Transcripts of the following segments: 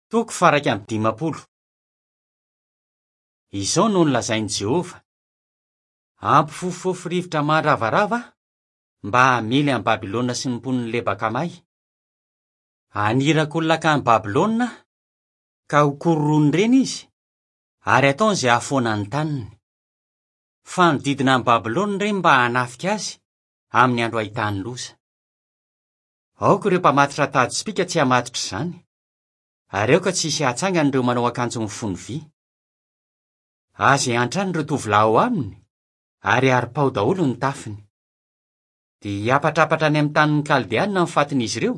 Toko faha-51. Izao no nolazain'i Jehovah, Hampifofofofo rivotra mandravarava aho, mba hamely an'i Babylona sy ny mponin'i Leba-Kamay. Haniraka olona hankany Babylona aho, ka hokororoin'ireny izy, ary hataony izay hahafoana ny taniny. Fanodidina an'i Babylona ireny mba hanafika azy amin'ny andro hahitany loza. Aoka ireo mpamatotra tady sy pika tsy hamatotra izany, ary aoka tsy hisy hahatsangana ireo manao akanjo mifono vy. Aza iantrano ireo tovolahy ao aminy, ary haripaho daholo ny tafiny. Dia hiapatrapatra any amin'ny tanin'ny Kaldeana ny fatin'izy ireo,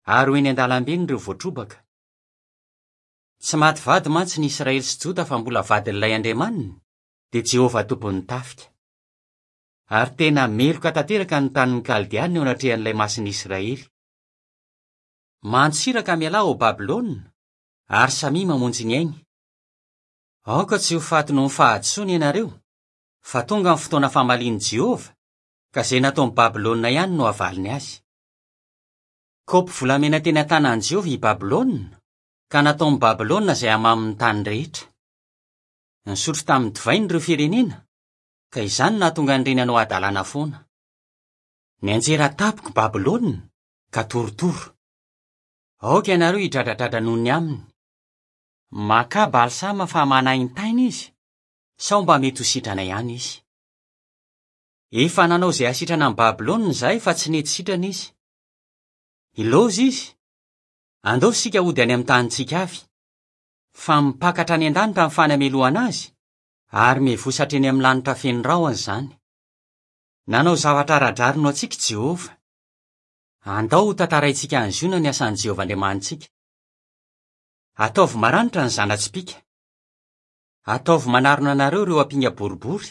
ary ho eny an-dalambeny ireo voatrobaka. Tsy maty vady mantsy ny Israely sy Joda fa mbola vadin'ilay Andriamaniny, dia Jehovah Tompon'ny tafika. Ary tena meloka tanteraka ny tanin'ny Kaldeana eo anatrehan'ilay Masin'ny Israely. Mantsiraka mialà ao Babylona, ary samia mamonjy ny ainy. Aoka tsy ho faty noho ny fahadisoana ianareo, fa tonga ny fotoana famalian'i Jehovah, ka izay nataon'i Babylona ihany no havaliny azy. Kaopy volamena teny an-tanan'i Jehovah i Babylona, ka nataon'i Babylona izay hamamin'ny tany rehetra. Nisotro tamin'ny divainy ireo firenena, ka izany no nahatonga an'ireny hanao hadalana foana. Nianjera tampoka i Babylona, ka torotoro. Aoka ianareo hidradradradra noho ny aminy. Makà balsama fa manaintaina izy, sao mba mety ho sitrana ihany izy. Efa nanao izay hasitrana an'i Babylona izahay fa tsy nety sitrana izy. Ilaozy izy. Andao isika hody any amin'ny tanintsika avy. Fa mipaka hatrany an-danitra ny fanamelohana azy, ary mivosa hatreny amin'ny lanitra feno rahona izany. Nanao zavatra ara-drariny ho antsika i Jehovah. Andao hotantaraintsika any Ziona ny asan'i Jehovah Andriamanitsika. Ataovy maranitra ny zana-tsipìka. Ataovy manarona anareo ireo ampinga boribory.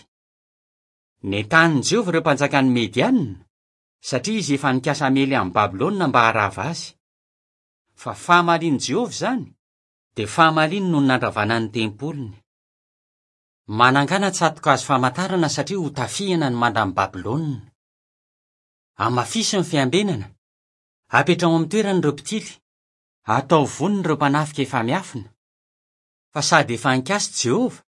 Nentanin'i Jehovah ireo mpanjakan'i Mediana, satria izy efa nikasa hamely an'i Babylona mba harava azy. Fa fahamalian'i Jehovah izany, dia fahamaliany noho ny nandravana ny tempoliny. Manangàna tsato-kazo famantarana satria hotafihana ny mandan'i Babylona. Hamafiso ny fiambenana, apetraho amin'ny toerany ireo mpitily, ataovy vonona ireo mpanafika efa miafina, fa sady efa nikasa i Jehovah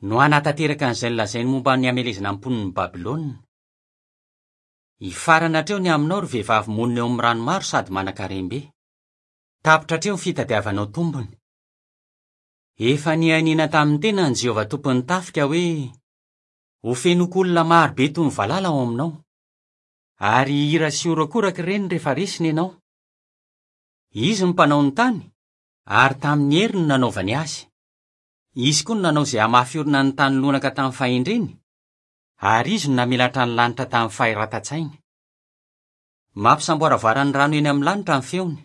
no hanatanteraka an'izay nolazainy momba ny hamelezana ny mponin'i Babylona. Hifarana hatreo ny aminao, ry vehivavy monina eo amin'ny rano maro sady manan-karem-be. Tapitra hatreo ny fitadiavanao tombony. Efa nianiana tamin'ny tenany Jehovah Tompon'ny tafika hoe, Hofenoiko olona maro be toy ny valala ao aminao. Ary hihira sy horakoraka ireny rehefa resiny ianao. Izy no mpanao ny tany, ary tamin'ny heriny no nanaovany azy. Izy koa no nanao izay hamafy orina ny tany lonaka tamin'ny fahendreny, ary izy no namelatra ny lanitra tamin'ny fahiratan-tsainy. Mampisamboaravoara ny rano eny amin'ny lanitra ny feony.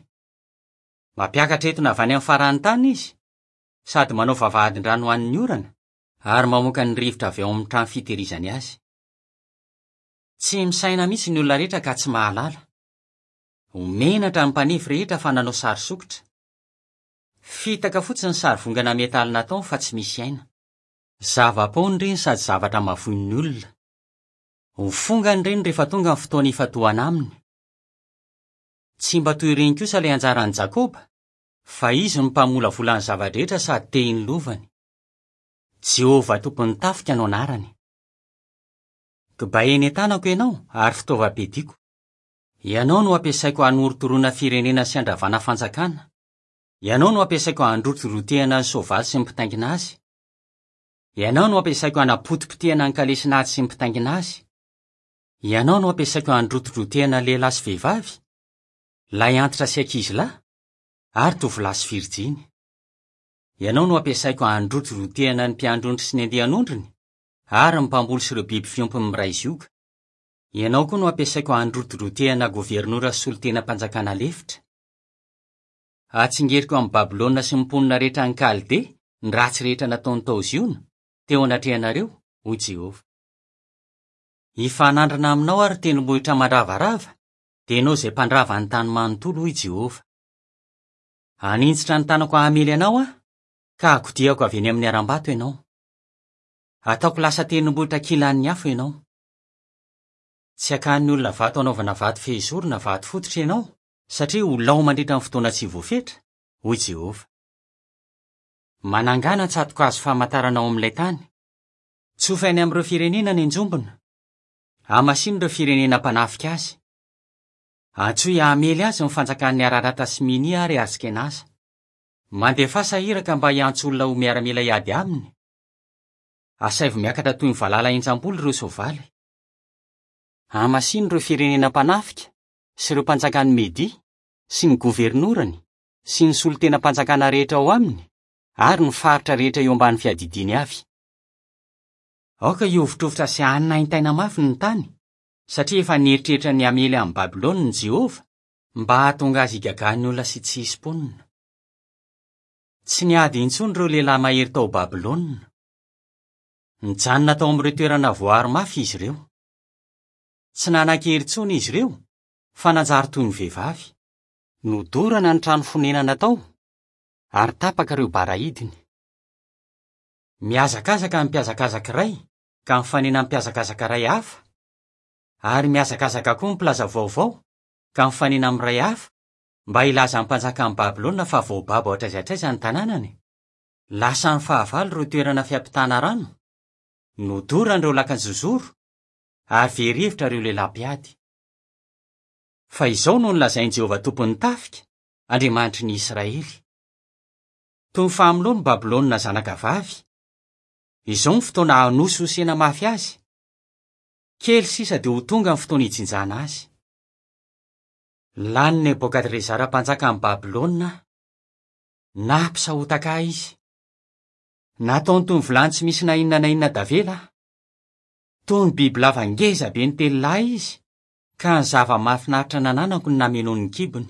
Mampiakatra etona avy any amin'ny faran'ny tany izy, sady manao vavahadin-drano ho an'ny orana, ary mamoaka ny rivotra avy ao amin'ny trano fitehirizany azy. Tsy misaina mihitsy ny olona rehetra ka tsy mahalala. Ho menatra ny mpanefy rehetra fa nanao sary sokitra. Fitaka fotsiny ny sarivongana metaly nataony fa tsy misy aina. Zava-poana ireny sady zavatra mavoin'ny olona. Ho fongana ireny rehefa tonga ny fotoana hifantohana aminy. Tsy mba toy ireny kosa ilay anjaran'i Jakoba, fa izy no mpamolavola ny zava-drehetra sady tehin'ny lovany. Jehovah Tompon'ny tafika no anarany. Kibay eny an-tanako ianao ary fitaovam-piadiako. Ianao no ampiasaiko hanorotoroana firenena sy handravana fanjakana. Ianao no ampiasaiko handrotirotehana ny soavaly sy ny mpitaingina azy. Ianao no ampiasaiko hanapotipotehana ny kalesin'ady sy ny mpitaingina azy. Ianao no ampiasaiko handrotidrotehana lehilahy sy vehivavy, lahy antitra sy ankizilahy, ary tovolahy sy virjiny. Ianao no ampiasaiko handrotidrotehana ny mpiandry ondry sy ny andian'ondriny, ary ny mpamboly sy ireo biby fiompiny miray zioga. Ianao koa no ampiasaiko handrotidrotehana governora sy solontenam-panjakana lefitra. Hatsingeriko amin'i Babylona sy ny mponina rehetra any Kaldea ny ratsy rehetra nataony tao Ziona, teo anatrehanareo, hoy Jehovah. Hifanandrina aminao aho, ry tendrombohitra mandravarava, dia ianao izay mpandrava ny tany manontolo, hoy Jehovah. Haninjitra ny tanako hamely anao aho, ka hakodiako avy eny amin'ny harambato ianao. Hataoko lasa tendrombohitra kilan'ny afo ianao. Tsy hakan'ny olona vato hanaovana vato fehizoro na vato fototra ianao, satria ho lao mandritra ny fotoana tsy voafetra, hoy Jehovah. Manangàna tsato-kazo famantarana ao amin'ilay tany. Tsofy any amin'ireo firenena ny anjombona. Hamasino ireo firenena mpanafika azy. Antsoy hamely azy ny fanjakan'i Ararata sy Minia ary Askenaza. Mandefasa iraka mba hiantso olona ho miaramila hiady aminy. Asaivo miakatra toy ny valala henjam-bolo ireo soavaly. Hamasino ireo firenena mpanafika sy ireo mpanjakan'i Media sy ny governorany sy ny solontenam-panjakana rehetra ao aminy ary ny faritra rehetra eo ambany fiadidiany avy. Aoka hihovitrovitra sy hanaintaina mafy ny tany, satria efa nieritreritra ny hamely an'i Babylona i Jehovah mba hahatonga azy higagan'ny olona sy tsy hisy mponina. Tsy niady intsony ireo lehilahy mahery tao Babylona. Nijanona tao amin'ireo toerana voaro mafy izy ireo. Tsy nanan-kery intsony izy ireo, fa nanjary toy ny vehivavy. Nodorana ny trano fonenana tao, ary tapaka ireo bara hidiny. Mihazakazaka ny mpihazakazaka iray ka mifanena amin'ny mpihazakazaka iray hafa, ary mihazakazaka koa ny mpilaza vaovao ka mifanena amin'ny iray hafa mba hilaza amin'ny mpanjakan'i Babylona fa voababo hatraiza hatraiza ny tanànany. Lasan'ny fahavalo ireo toerana fiampitana rano, nodorana ireo lakan-jozoro, ary very hevitra ireo lehilahy mpiady. Fa izao no nolazain'i Jehovah Tompon'ny tafika, Andriamanitry ny Israely, Toy ny fahamoloan'i Babylona zanakavavy, izao ny fotoana hanosihosena mafy azy. Kely sisa dia ho tonga ny fotoana hijinjana azy. Lanin'i Nebokadrezara mpanjakan'i Babylona aho. Nampisahotaka ahy izy. Nataony toy ny vilany tsy misy na inona na inona tavela aho. Toy ny bibilava ngeza be nitelina ahy izy, ka ny zava-mahafinaritra nananako no namenoany ny kibony.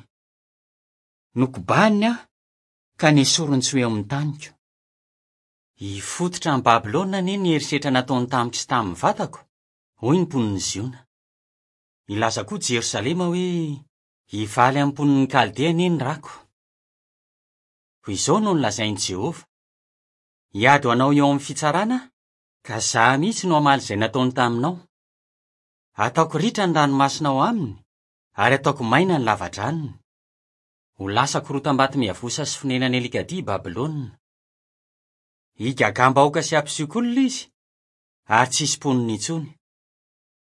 Nokobaniny aho, ka nesoriny tsy ho eo amin'ny taniko. Hifototra amin'i Babylona anie ny herisetra nataony tamiko sy tamin'ny vatako, hoy ny mponin'i Ziona. Hilaza koa Jerosalema hoe, Hivaly amin'ny mponin'i Kaldea anie ny rako. Koa izao no nolazain'i Jehovah, Hiady ho anao eo amin'ny fitsarana aho, ka izaho mihitsy no hamaly izay nataony taminao. Hataoko ritra ny ranomasina ao aminy, ary hataoko maina ny lavadranony. Ho lasa korotam-bato miavosa sy fonenan'ny alikadia i Babylona. Higagam-bahoaka sy hampisioka olona izy, ary tsy hisy mponina intsony.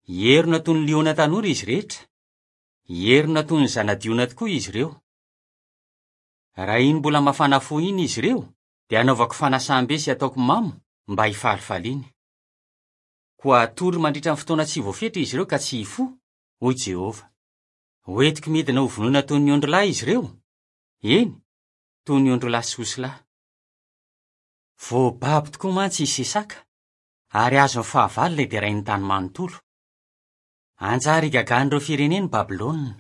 Hierona toy ny liona tanora izy rehetra. Hierona toy ny zana-diona tokoa izy ireo. Raha iny mbola mafana fo iny izy ireo, dia hanaovako fanasam-be sy hataoko mamo mba hifalifaliany. Koa hatory mandritra ny fotoana tsy voafetra izy ireo ka tsy hifoha, hoy Jehovah. Hoentiko midina hovonoina toy ny ondrilahy izy ireo, eny, toy ny ondrilahy sy osilahy. Voababo tokoa mantsy i Sesaka, ary azon'ny fahavalo ilay derain'ny tany manontolo. Hanjary higagan'ireo firenena i Babylona.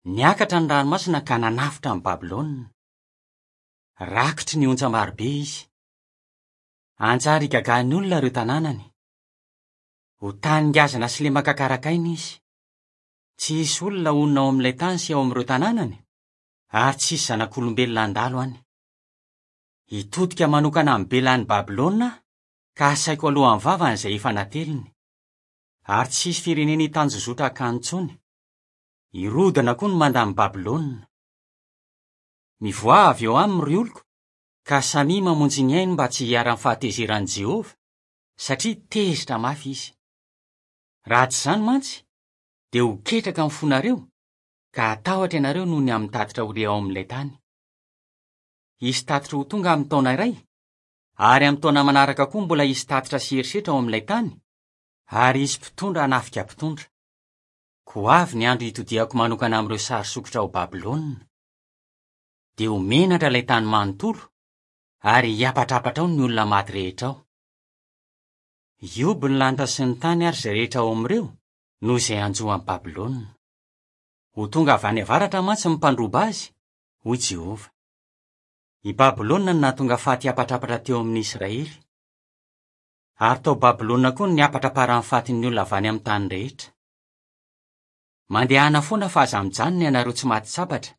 Niakatra ny ranomasina ka nanafotra an'i Babylona. Rakotry ny ontsa marobe izy. Hanjary higagan'ny olona ireo tanànany. Ho tany ngazana sy lemaka karakaina izy. Tsy hisy olona honina ao amin'ilay tany sy ao amin'ireo tanànany, ary tsy hisy zanak'olombelona handalo any. Hitodika manokana amin'i Bela any Babylona aho, ka hasaiko alohan'ny vavany izay efa nateliny. Ary tsy hisy firenena hitanjozotra hankany intsony. Hirodana koa ny mandan'i Babylona. Mivoaha avy eo aminy, ry oloko, ka samia mamonjy ny ainy mba tsy hiharan'ny fahatezeran'i Jehovah, satria tezitra mafy izy. Raha tsy izany mantsy, dia ho ketraka ny fonareo, ka hatahotra ianareo noho ny amin'ny tatitra ho re ao amin'ilay tany. Hisy tatitra ho tonga amin'ny taona iray, ary amin'ny taona manaraka koa mbola hisy tatitra sy herisetra ao amin'ilay tany, ary hisy mpitondra hanafika mpitondra. Koa avy ny andro hitodihako manokana amin'ireo sary sokitra ao Babylona. Dia ho menatra ilay tany manontolo, ary hiapatrapatra ao ny olona maty rehetra ao. Hihoby ny lanitra sy ny tany ary izay rehetra ao amin'ireo, noho izay hanjo an'i Babylona. Ho tonga avy any avaratra mantsy ny mpandroba azy, hoy Jehovah. I Babylona no nahatonga faty hiapatrapatra teo amin'ny Israely. Ary tao Babylona koa no niapatraparan'ny fatin'ny olona avy any amin'ny tany rehetra. Mandehana foana fa aza mijanona ianareo tsy maty sabatra.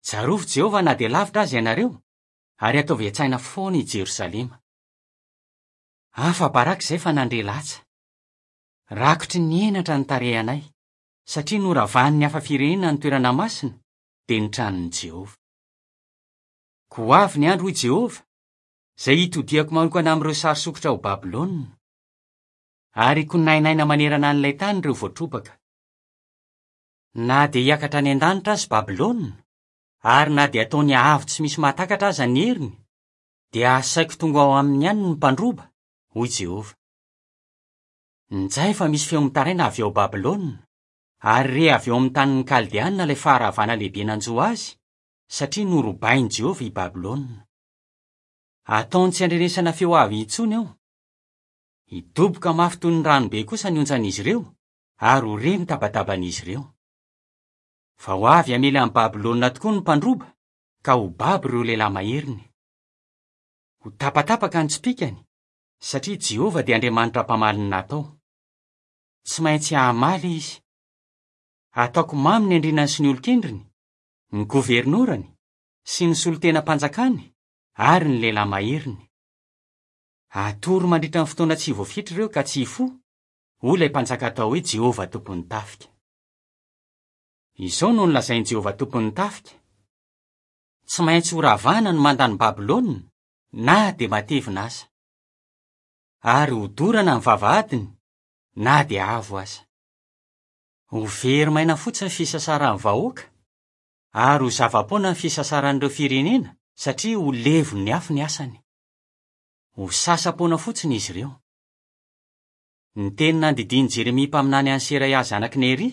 Tsarovy Jehovah na dia lavitra aza ianareo, ary ataovy an-tsaina foana i Jerosalema. Afa-baraka izay fa nandre latsa. Rakotry ny henatra ny tarehinay, satria noravan'ny hafa firenena ny toerana masina, dia ny tranon'i Jehovah. Koa ho avy ny andro, hoy Jehovah, izay hitodihako manokana amin'ireo sary sokitra ao Babylona. Ary hikonainaina manerana an'ilay tany ireo voatrobaka. Na dia hiakatra any an-danitra aza i Babylona, ary na dia ataony avo tsy misy mahatakatra aza ny heriny, dia hasaiko tonga ao aminy ihany ny mpandroba, hoy Jehovah. Injay fa misy feo mitaraina avy ao Babylona, ary re avy ao amin'ny tanin'ny Kaldeana ilay faharavana lehibe nanjo azy, satria norobain'i Jehovah i Babylona. Ataony tsy andrenesana feo avo intsony ao. Hidoboka mafy toy ny ranobe kosa ny onjan'izy ireo, ary ho re ny tabataban'izy ireo. Fa ho avy hamely an'i Babylona tokoa ny mpandroba, ka ho babo ireo lehilahy maheriny. Ho tapatapaka ny tsipìkany, satria Jehovah dia Andriamanitra mpamaly ny natao. Tsy maintsy hamaly izy. Hataoko mamy ny andrianany sy ny olon-kendriny, ny governorany, sy ny solontenam-panjakany, ary ny lehilahy maheriny. Hatory mandritra ny fotoana tsy voafetra ireo ka tsy hifoha, hoy ilay Mpanjaka atao hoe Jehovah Tompon'ny tafika. Izao no nolazain'i Jehovah Tompon'ny tafika, Tsy maintsy horavana ny mandan'i Babylona, na dia matevina aza. Ary hodorana ny vavahadiny, na dia avo aza. Ho very maina fotsiny ny fisasaran'ny vahoaka, ary ho zava-poana ny fisasaran'ireo firenena, satria ho levon'ny afo ny asany. Ho sasa-poana fotsiny izy ireo. Ny teny nandidian'i Jeremia mpaminany an'i Seraia zanak'i Neria,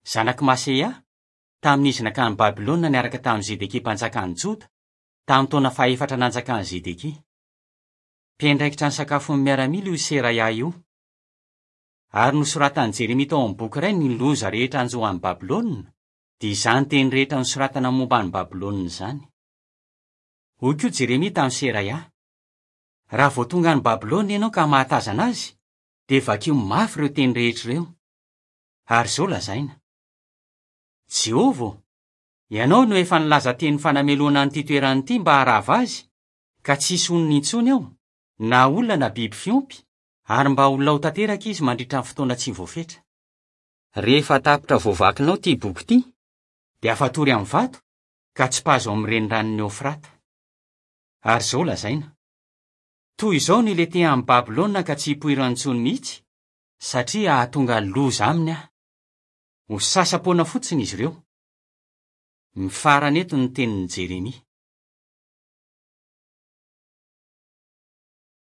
zanak'i Maseia, tamin'izy nankany Babylona niaraka tamin'i Zedekia mpanjakan'i Joda, tamin'ny taona fahefatra nanjakan'i Zedekia. Mpiandraikitra ny sakafon'ny miaramila io Seraia io. Ary nosoratan'i Jeremia tao amin'ny boky iray ny loza rehetra hanjo an'i Babylona, dia izany teny rehetra nosoratana momba an'i Babylona izany. Hoy koa Jeremia tamin'i Seraia, Raha vao tonga any Babylona ianao ka mahatazana azy, dia vakio mafy ireo teny rehetra ireo. Ary izao lazaina, Jehovah ô, ianao no efa nilaza teny fanamelohana an'ity toerana ity mba harava azy, ka tsy hisy honina intsony ao, na olona na biby fiompy, ary mba ho lao tanteraka izy mandritra ny fotoana tsy voafetra. Rehefa tapitra voavakinao ity boky ity, dia afatory amin'ny vato, ka tsipazo ao amin'ny reniranon'i Eofrata. Ary izao lazaina, Toy izao no hilentehan'i Babylona ka tsy hipoirany intsony mihitsy, satria hahatonga loza aminy aho. Ho sasa-poana fotsiny izy ireo. Mifarana eto ny tenin'i Jeremia.